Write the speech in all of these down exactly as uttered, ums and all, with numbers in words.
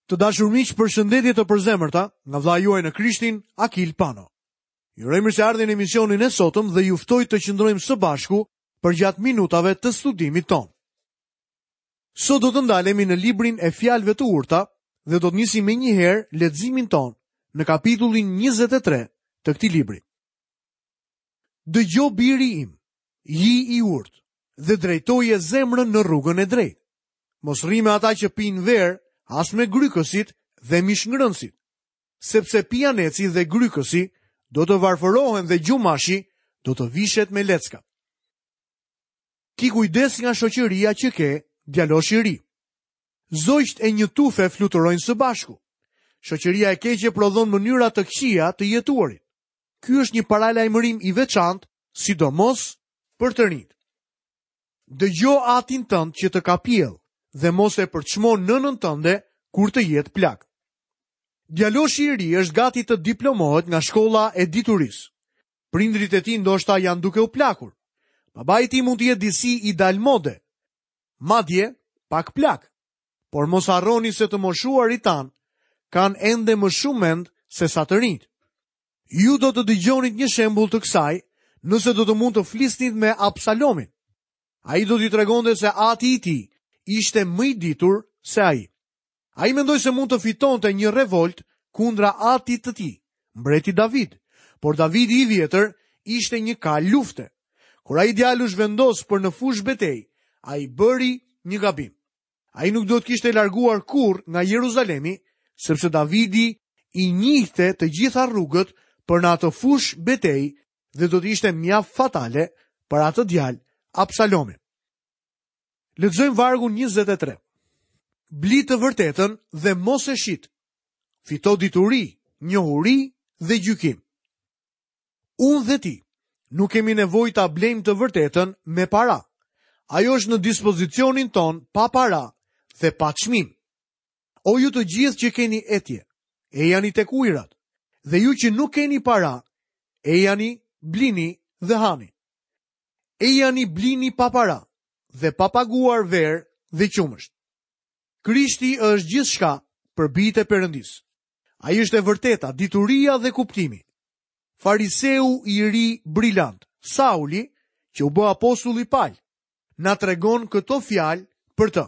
Të dashur miq, përshëndetje të përzemërta nga vëllai juaj në Krishtin, Akil Pano. Ju uroj mirëseardhjen në emisionin e sotëm dhe ju ftoj të qëndrojmë së bashku përgjatë minutave të studimit tonë. Sot do të ndalemi në librin e fjalëve të urta dhe do të nisim menjëherë leximin tonë në kapitullin njëzet e tre të këtij libri. Dëgjo biri im, ji i urtë dhe drejtoje zemrën në rrugën e drejtë. Mos rri me ata që pinë verë, as me grykësit dhe mishngrënësit, sepse pijaneci dhe grykësi do të varfërohen dhe gjumashi do të vishet me lecka. Ki kujdes nga shoqëria që ke, djalosh i ri. Zogjt e një tufe fluturojnë së bashku. Shoqëria e keqe prodhon mënyra të këqija të jetuarit. Ky është një paralajmërim i veçantë, sidomos për të rinjt. Dëgjo atin tënd që të ka pjell dhe mos e përçmo nënën tënde kur të jetë plak. Djaloshi i ri është gati të diplomohet nga shkolla e diturisë. Prindrit e tij ndoshta janë duke u plakur. Babai i tij mund të jetë disi i dal mode, madje pak plak. Por mos harroni se të moshuarit tan kanë ende më shumë mend se sa të rinjt. Ju do të dëgjonit një shembull të kësaj nëse do të mund të flisnit me Absalomin. Ai do t'i tregonte se ati i tij ishte më i ditur se ai. Ai mendoi se mund të fitonte një revolt kundra atit të tij, mbreti David, por Davidi i vjetër ishte një kal lufte. Kur ai djalë u zhvendos për në fushë betejë, ai bëri një gabim. Ai nuk do të kishte larguar kurrë nga Jeruzalemi, sepse Davidi i njihte të gjitha rrugët për në atë fushë betejë dhe do të ishte mjaft fatale për atë djalë, Absalomin. Lexojmë vargun njëzet e tre. Bli të vërtetën dhe mos e shit. Fito dituri, njohuri dhe gjykim. Unë dhe ti nuk kemi nevojë ta blejmë të vërtetën me para. Ajo është në dispozicionin ton pa para dhe pa çmim. O ju të gjithë që keni etje, ejani tek ujërat, dhe ju që nuk keni para, ejani, blini dhe hani. Ejani, blini pa para dhe pa paguar verë dhe qumësht. Krishti është gjithçka për bijtë e Perëndisë. Ai është e vërteta, dituria dhe kuptimi. Fariseu i ri brilant, Sauli, që u bë apostulli Pal, na tregon këto fjalë për të.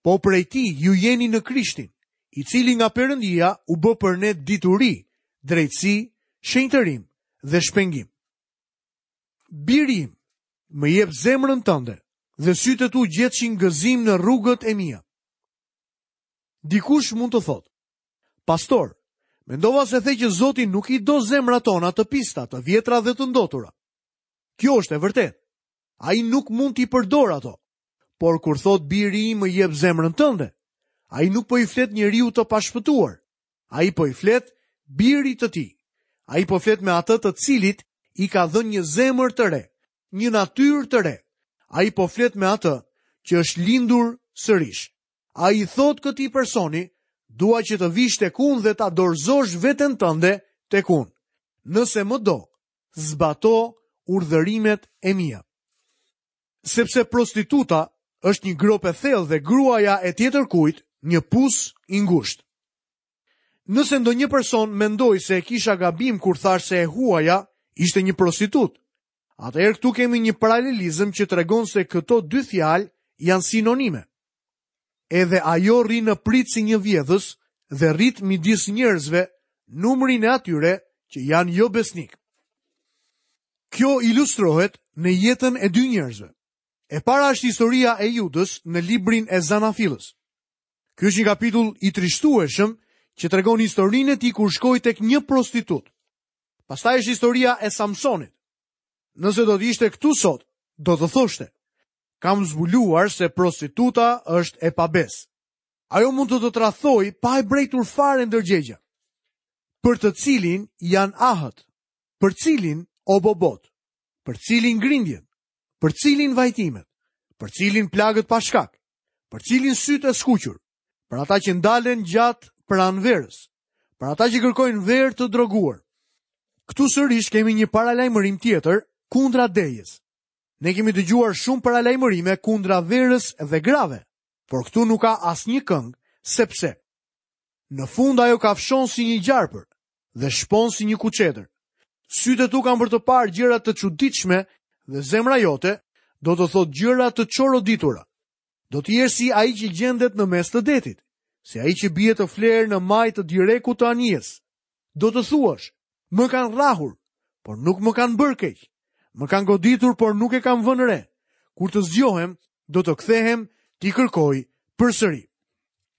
Po prej tij ju jeni në Krishtin, i cili nga Perëndia u bë për ne dituri, drejtësi, shenjtërim dhe shpengim. Biri im, më jep zemrën tënde dhe sytë e tu gjetshin gëzim në rrugët e mia. Dikush mund të thotë, pastor, mendova se the që Zoti nuk i do zemrat tona të pista, të vjetra dhe të ndotura. Kjo është e vërtetë. Ai nuk mund t'i përdor ato. Por kur thot biri im më jep zemrën tënde, ai nuk po i flet njeriu të pashpëtuar. Ai po i flet birit të tij. Ai po flet me atë të cilit i ka dhënë një zemër të re, një natyrë të re. Ai po flet me atë që është lindur sërish. Ai i thot këtij personi, dua që të vish tek unë dhe ta dorëzosh veten tënde tek unë. Nëse më do, zbato urdhërimet e mia. Sepse prostituta është një gropë e thellë dhe gruaja e tjetërkujt një pus i ngushtë. Nëse ndonjë person mendoi se e kisha gabim kur thash se e huaja ishte një prostitut, atëherë këtu kemi një paralelizëm që tregon se këto dy fjalë janë sinonime. Edhe ajo rri në pritë si një vjedhës dhe rrit midis njerëzve numrin e atyre që janë jo besnik. Kjo ilustrohet në jetën e dy njerëzve. E para është historia e Judës në librin e Zanafillës. Ky është një kapitull i trishtueshëm që tregon historinë e tij kur shkoi tek një prostitut. Pastaj është historia e Samsonit. Nëse do të ishte këtu sot, do të thoshte, kam zbuluar se prostituta është e pabesë. Ajo mund të të tradhoj pa e brejtur fare ndërgjegja. Për të cilin janë ahët, për cilin obobot, për cilin grindjen, për cilin vajtimet, për cilin plagët pa shkak, për cilin sytë e skuqur, për ata që ndalen gjatë pranë verës, për ata që kërkojnë verë të droguar. Këtu sërish kemi një paralajmërim tjetër kundra dejës. Ne kemi dëgjuar shumë paralajmërime kundra verës dhe grave, por këtu nuk ka asnjë këngë sepse. Në fund ajo kafshon si një gjarpër dhe shpon si një kuçedër. Sytë e tu kanë për të parë gjëra të çuditshme dhe zemra jote do të thotë gjëra të çoroditura. Do të jesh si ai që gjendet në mes të detit, si ai që bie të flerë në majë të direkut të anijes. Do të thuash, më kanë rrahur, por nuk më kanë bërë keq. Më kanë goditur, por nuk e kam vënë re. Kur të zgjohem, do të kthehem t'i kërkoj përsëri.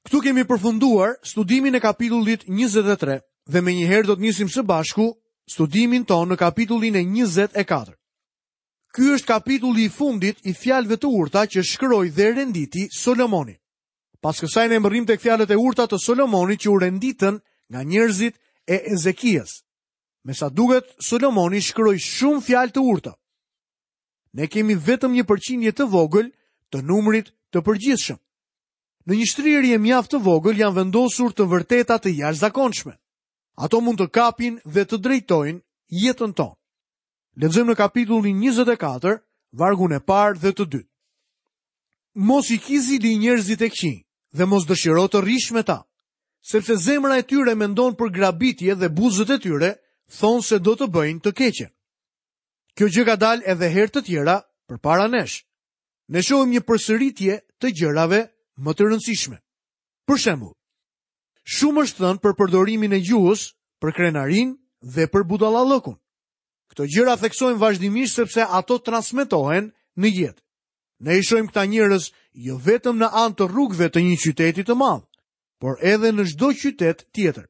Këtu kemi përfunduar studimin e kapitullit njëzet e tre dhe menjëherë do të nisim së bashku studimin tonë në kapitullin e njëzet e katër. Ky është kapitulli i fundit i fjalëve të urta që shkroi dhe renditi Solomoni. Pas kësaj ne mbërrim tek fjalët e urta të Solomonit që u renditën nga njerëzit e Ezekias. Me sa duket, Solomoni shkroi shumë fjalë të urta. Ne kemi vetëm një përqindje të vogël të numrit të përgjithshëm. Në një shtrirje mjaft të vogël janë vendosur të vërteta të jashtëzakonshme. Ato mund të kapin dhe të drejtojnë jetën tonë. Lexojmë në kapitullin njëzet e katër, vargun e parë dhe të dytë. Mos i ki zili njerëzit e këqij dhe mos dëshiro të rrish me ta, sepse zemra e tyre mendon për grabitje dhe buzët e tyre thonë se do të bëjnë të keqen. Kjo gjë ka dalë edhe herë të tjera përpara nesh. Ne shohim një përsëritje të gjërave më të rëndësishme. Për shembull, shumë është thënë për përdorimin e gjuhës, për krenarinë dhe për budallallëkun. Këto gjëra theksojnë vazhdimisht sepse ato transmetohen në jetë. Ne i shohim këta njerëz jo vetëm në anë të rrugëve të një qyteti të madh, por edhe në çdo qytet tjetër.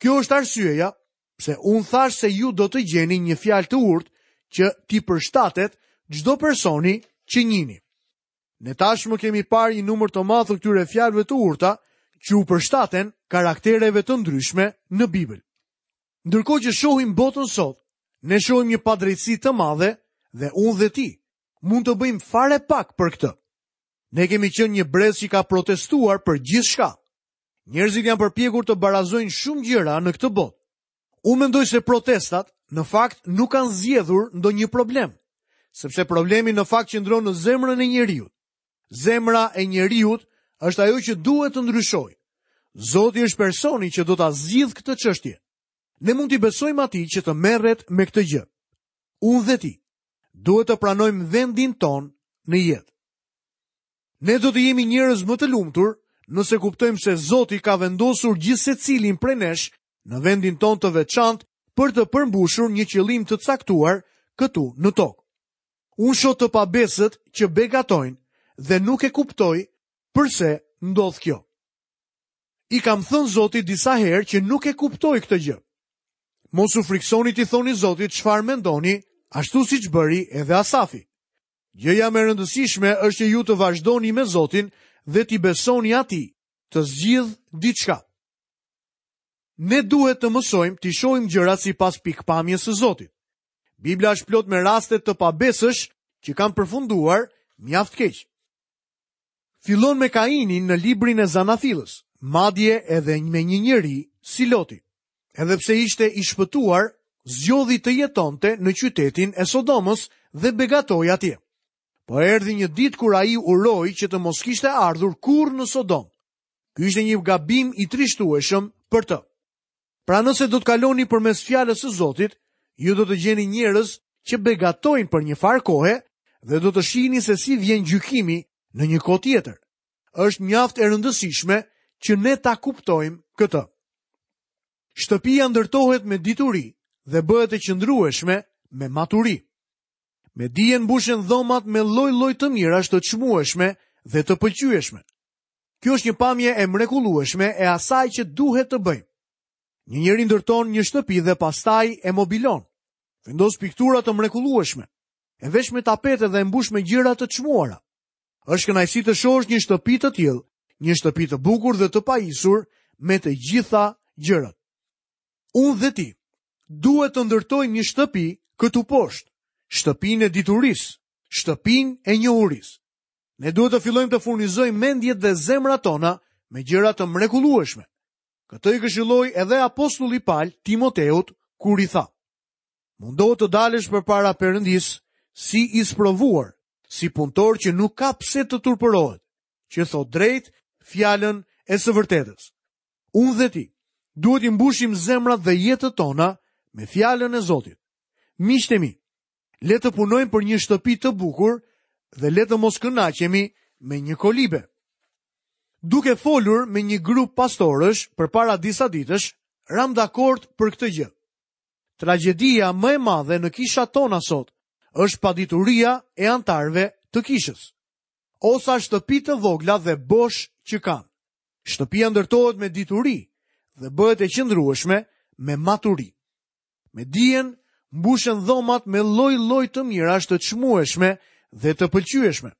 Kjo është arsyeja pse unë thash se ju do të gjeni një fjalë të urtë që t'i përshtatet çdo personi që njihni. Ne tashmë kemi parë një numër të madh të këtyre fjalëve të urta që u përshtaten karaktereve të ndryshme në Bibël. Ndërkohë që shohim botën sot, ne shohim një padrejtësi të madhe dhe unë dhe ti mund të bëjmë fare pak për këtë. Ne kemi qenë një brez që ka protestuar për gjithçka. Njerëzit janë përpjekur të barazojnë shumë gjëra në këtë botë. Unë mendoj se protestat në fakt nuk kanë zgjedhur ndonjë problem, sepse problemi në fakt qëndron në zemrën e njeriut. Zemra e njeriut është ajo që duhet të ndryshojë. Zoti është personi që do ta zgjidhë këtë çështje. Ne mund t'i besojmë atij që të merret me këtë gjë. Unë dhe ti duhet të pranojmë vendin tonë në jetë. Ne do të jemi njerëz më të lumtur nëse kuptojmë se Zoti ka vendosur gjithsecilin prej nesh në vendin tonë të veçantë për të përmbushur një qëllim të caktuar këtu në tokë. Unë shoh të pabesët që begatojnë dhe nuk e kuptoj përse ndodh kjo. I kam thënë Zotit disa herë që nuk e kuptoj këtë gjë. Mos u friksoni t'i thoni Zotit çfarë mendoni, ashtu siç bëri edhe Asafi. Gjëja më e rëndësishme është që ju të vazhdoni me Zotin dhe t'i besoni atij, të zgjidh diçka. Ne duhet të mësojmë t'i shohim gjërat sipas pikpamjes së Zotit. Bibla është plot me raste të pabesësh që kanë përfunduar mjaft keq. Fillon me Kainin në librin e Zanafillës, madje edhe me një njeri si Loti. Edhe pse ishte i shpëtuar, zgjodhi të jetonte në qytetin e Sodomës dhe begatoi atje. Po erdhi një ditë kur ai uroi që të mos kishte ardhur kurrë në Sodom. Ky ishte një gabim i trishtueshëm për të. Pra nëse do të kaloni përmes fjalës së Zotit, ju do të gjeni njerëz që begatojnë për një farë kohe dhe do të shihni se si vjen gjykimi në një kohë tjetër. Është mjaft e rëndësishme që ne ta kuptojmë këtë. Shtëpia ndërtohet me dituri dhe bëhet e qëndrueshme me maturi. Me dijen mbushen dhomat me lloj-lloj të mirash të çmueshme dhe të pëlqyeshme. Kjo është një pamje e mrekullueshme e asaj që duhet të bëjmë. Një njeri ndërton një shtëpi dhe pastaj e mobilon. Vendos piktura të mrekullueshme, e vesh me tapete dhe e mbush me gjëra të çmuara. Është kënaqësi të shohësh një shtëpi të tillë, një shtëpi të bukur dhe të pajisur me të gjitha gjërat. Unë dhe ti duhet të ndërtojmë një shtëpi këtu poshtë, shtëpinë e diturisë, shtëpinë e njohurisë. Ne duhet të fillojmë të furnizojmë mendjet dhe zemrat tona me gjëra të mrekullueshme. Këtë i këshilloi edhe apostulli Paul Timoteut kur i tha: Mundohu të dalësh përpara Perëndisë si i sprovuar, si punëtor që nuk ka pse të turpërohet, që thot drejt fjalën e së vërtetës. Unë dhe ti duhet t'i mbushim zemrat dhe jetët tona me fjalën e Zotit. Miqtë e mi, le të punojmë për një shtëpi të bukur dhe le të mos kënaqemi me një kolibe. Duke folur me një grup pastorësh përpara disa ditësh, ram dakord për këtë gjë. Tragjedia më e madhe në kishat tona sot është padituria e anëtarëve të kishës. O sa shtëpi të vogla dhe bosh që kanë. Shtëpia ndërtohet me dituri dhe bëhet e qëndrueshme me maturi. Me dijen mbushen dhomat me lloj-lloj të mirash të çmueshme dhe të pëlqyeshme.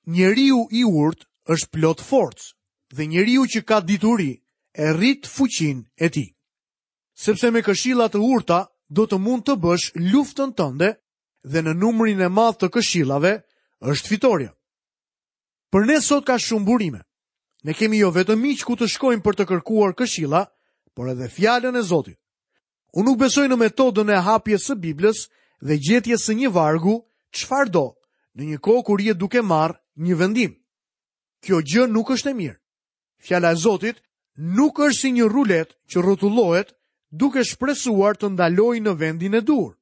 Njeriu i urtë është plot forcë dhe njeriu që ka dituri e rrit fuqinë e tij. Sepse me këshilla të urta do të mund të bësh luftën tënde dhe në numrin e madh të këshillave është fitoria. Për ne sot ka shumë burime. Ne kemi jo vetëm miq ku të shkojmë për të kërkuar këshilla, por edhe fjalën e Zotit. Unë nuk besoj në metodën e hapjes së Biblës dhe gjetjes së një vargu çfarëdo, në një kohë kur je duke marrë një vendim. Kjo gjë nuk është e mirë. Fjala e Zotit nuk është si një rulet që rrotullohet duke shpresuar të ndalojë në vendin e duhur.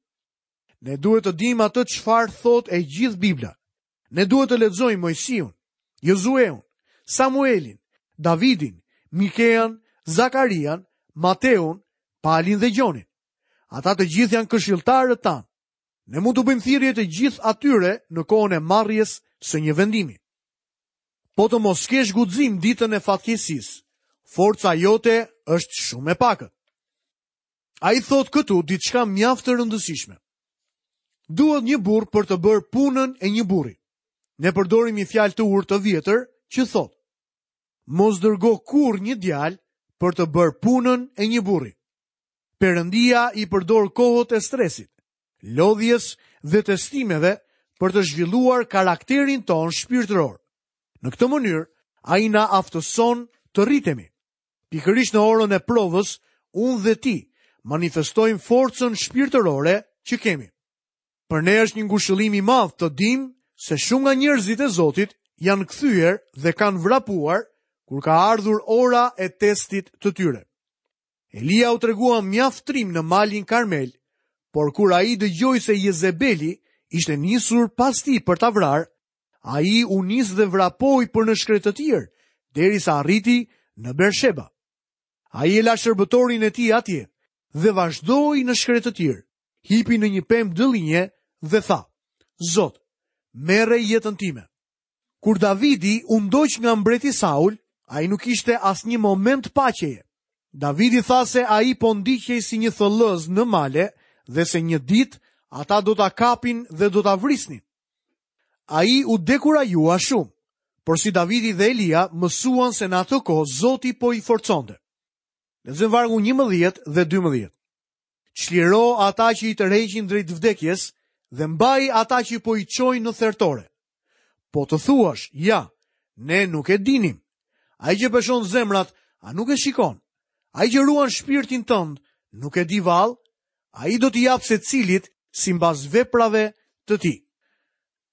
Ne duhet të dimë atë çfarë thotë e gjithë Bibla. Ne duhet të lexojmë Moisiun, Jozueun, Samuelin, Davidin, Mikean, Zakarian, Mateun, Palin dhe Gjonin. Ata të gjithë janë këshilltarët tanë. Ne mund të bëjmë thirrje të gjithë atyre në kohën e marrjes së një vendimi. Po të mos kesh guxim ditën e fatkeqësisë, forca jote është shumë e pakët. Ai thotë këtu diçka mjaft të rëndësishme. Duhet një burr për të bërë punën e një burri. Ne përdorim një fjalë të urtë të vjetër që thotë: Mos dërgo kurrë një djalë për të bërë punën e një burri. Perëndia i përdor kohët e stresit, lodhjes dhe testimeve për të zhvilluar karakterin tonë shpirtëror. Në këtë mënyrë, ai na aftëson të rritemi. Pikërisht në orën e provës, unë dhe ti manifestojmë forcën shpirtërore që kemi. Për ne është një ngushëllim i madh të dim se shumë nga njerëzit e Zotit janë kthyer dhe kanë vrapuar kur ka ardhur ora e testit të tyre. Elia u tregua mjaft trim në malin Karmel, por kur ai dëgjoi se Jezebeli ishte nisur pas tij për ta vrarë, ai u nis dhe vrapoi për në shkretëtirë, derisa arriti në Bersheba. Ai e la shërbëtorin e tij atje dhe vazhdoi në shkretëtirë, hipi në një pemë dëllinje dhe tha: Zot, merre jetën time. Kur Davidi u ndoq nga mbreti Saul, ai nuk ishte asnjë moment paqeje. Davidi tha se ai po ndiqej si një thëllëz në male dhe se një ditë ata do ta kapin dhe do ta vrisnin. Ai u dekurajua shumë, por si Davidi dhe Elia mësuan se në atë kohë Zoti po i forconte. Lexojmë vargun njëmbëdhjetë dhe dymbëdhjetë. Çliro ata që i tërheqin drejt vdekjes dhe mbaj ata që po i çojnë në thertore. Po të thuash, ja, ne nuk e dinim. Ai që peshon zemrat, a nuk e shikon? Ai që ruan shpirtin tënd, nuk e di vallë? Ai do t'i japë secilit sipas veprave të tij.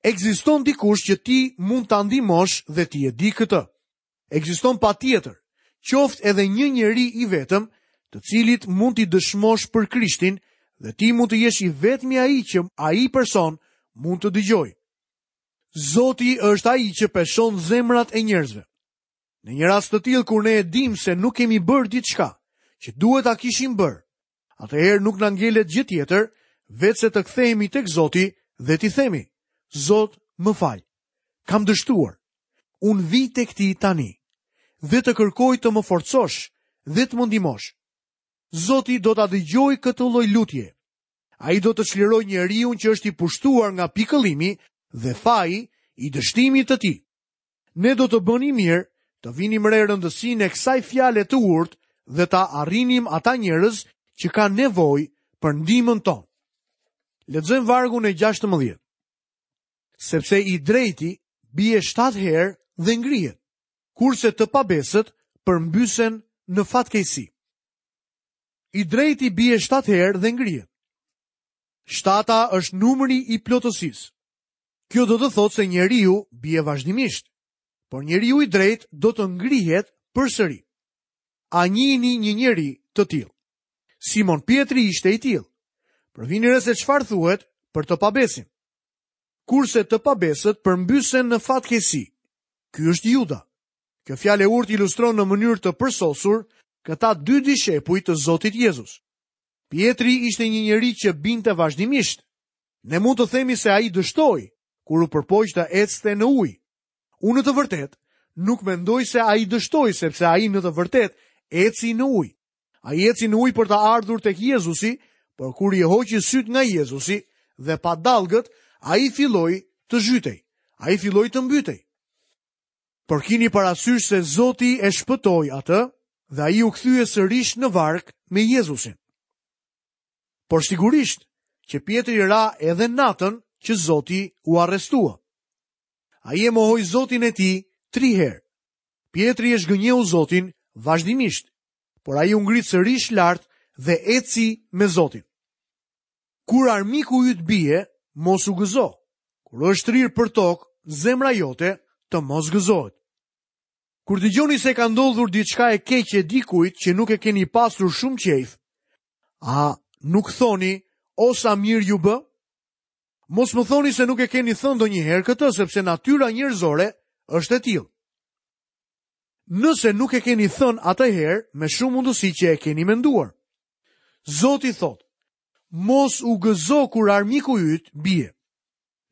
Ekziston dikush që ti mund ta ndihmosh dhe ti e di këtë. Ekziston patjetër, qoftë edhe një njeri i vetëm, të cilit mund t'i dëshmosh për Krishtin dhe ti mund të jesh i vetmi ai që ai person mund të dëgjojë. Zoti është ai që peshon zemrat e njerëzve. Në një rast të tillë kur ne e dim se nuk kemi bërë diçka që duhet ta kishim bërë, atëherë nuk na ngelet gjë tjetër veç se të kthehemi tek Zoti dhe t'i themi: Zot, më fal. Kam dështuar. Unë vi tek ti tani dhe të kërkoj të më forcosh dhe të më ndihmosh. Zoti do ta dëgjojë këtë lloj lutje. Ai do të çlirojë njeriun që është i pushtuar nga pikëllimi dhe faji i dështimit të tij. Ne do të bënim mirë të vinim re rëndësinë e kësaj fjale të urtë dhe ta arrinim ata njerëz që kanë nevojë për ndihmën tonë. Lexojmë vargun e gjashtëmbëdhjetë. Sepse i drejti bie shtatë herë dhe ngrihet, kurse të pabesët përmbysen në fatkeqësi. I drejti bie shtatë herë dhe ngrihet. Shtata është numri i plotësisë. Kjo do të thotë se njeriu bie vazhdimisht, por njeriu i drejtë do të ngrihet përsëri. A njihni një njeri të tillë? Simon Pjetri ishte i tillë. Por vini re se çfarë thuhet për të pabesin. Kurse të pabesët përmbysen në fatkeqësi. Ky është Juda. Kjo fjalë e urtë ilustron në mënyrë të përsosur këta dy dishepuj të Zotit Jezus. Pjetri ishte një njeri që binte vazhdimisht. Ne mund të themi se ai dështoi kur u përpoq të ecte në ujë. Unë në të vërtetë nuk mendoj se ai dështoi sepse ai në të vërtetë eci në ujë. Ai eci në ujë për të ardhur tek Jezusi, por kur i hoqi syt nga Jezusi dhe pa dallgët, ai filloi të zhytej. Ai filloi të mbytej. Por kini parasysh se Zoti e shpëtoi atë dhe ai u kthye sërish në varkë me Jezusin. Por sigurisht që Pjetri ra edhe natën që Zoti u arrestua. Ai e mohoi Zotin e tij tri herë. Pjetri e zhgënjeu Zotin vazhdimisht, por ai u ngrit sërish lart dhe eci me Zotin. Kur armiku yt bie, mos u gëzo. Kur është shtrirë për tokë, zemra jote të mos gëzohet. Kur dëgjoni se ka ndodhur diçka e keqe dikujt që nuk e keni pasur shumë qejf, a nuk thoni, o sa mirë ju bë? Mos më thoni se nuk e keni thënë ndonjëherë këtë, sepse natyra njerëzore është e tillë. Nëse nuk e keni thënë atëherë, me shumë mundësi që e keni menduar. Zoti thotë, mos u gëzo kur armiku yt bie.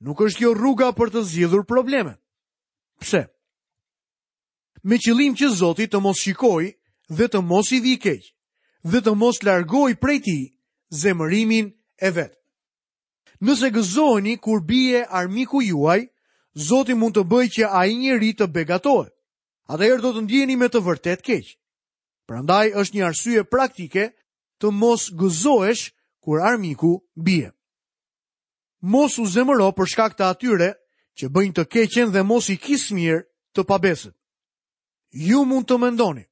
Nuk është kjo rruga për të zgjidhur problemet. Pse? Me qëllim që Zoti të mos shikojë dhe të mos i vijë keq, dhe të mos largojë prej tij zemërimin e vet. Nëse gëzoheni kur bie armiku juaj, Zoti mund të bëjë që ai njeri të begatohet. Atëherë do të ndjeni me të vërtet keq. Prandaj është një arsye praktike të mos gëzohesh kur armiku bie. Mos u zemëro për shkak të atyre që bëjnë të keqen dhe mos i kis mirë të pabesët. Ju mund të mendoni,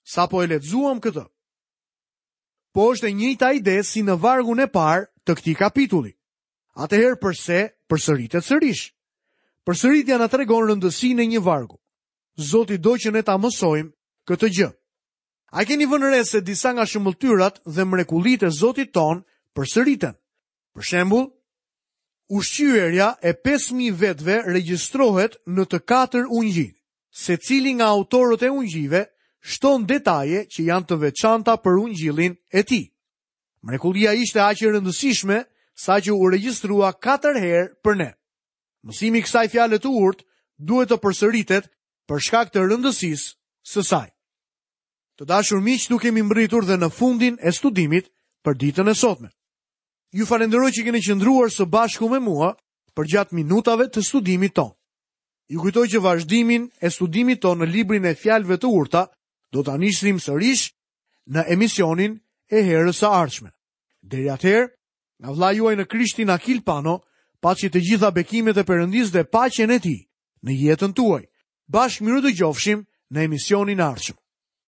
sapo e lexuam këtë. Po është e njëjta ide si në vargun e parë të këtij kapitulli. Atëherë përse përsëritet sërish? Përsëritja na tregon rëndësinë e një vargu. Zoti do që ne ta mësojmë këtë gjë. A keni vënë re se disa nga shëmbëlltyrat dhe mrekullitë e Zotit ton përsëriten? Për shembull, ushqyerja e pesë mijë vetëve regjistrohet në të katër ungjijtë. Secili nga autorët e ungjijve shton detaje që janë të veçanta për ungjillin e tij. Mrekullia ishte aq e rëndësishme sa që u regjistrua katër herë për ne. Mësimi i kësaj fjale të urtë duhet të përsëritet për shkak të rëndësisë së saj. Të dashur miq, nuk kemi mbërritur dhe në fundin e studimit për ditën e sotme. Ju falenderoj që keni qëndruar së bashku me mua përgjatë minutave të studimit tonë. Ju kujtoj që vazhdimin e studimit tonë në librin e fjalëve të urta do ta nisim sërish në emisionin e herës së ardhshme. Deri atëherë, nga vëllai juaj në Krishtin Akil Pano, paçi të gjitha bekimet e Perëndisë dhe paqen e tij në jetën tuaj. Bashkë mirë dëgjofshim në emisionin e ardhshëm.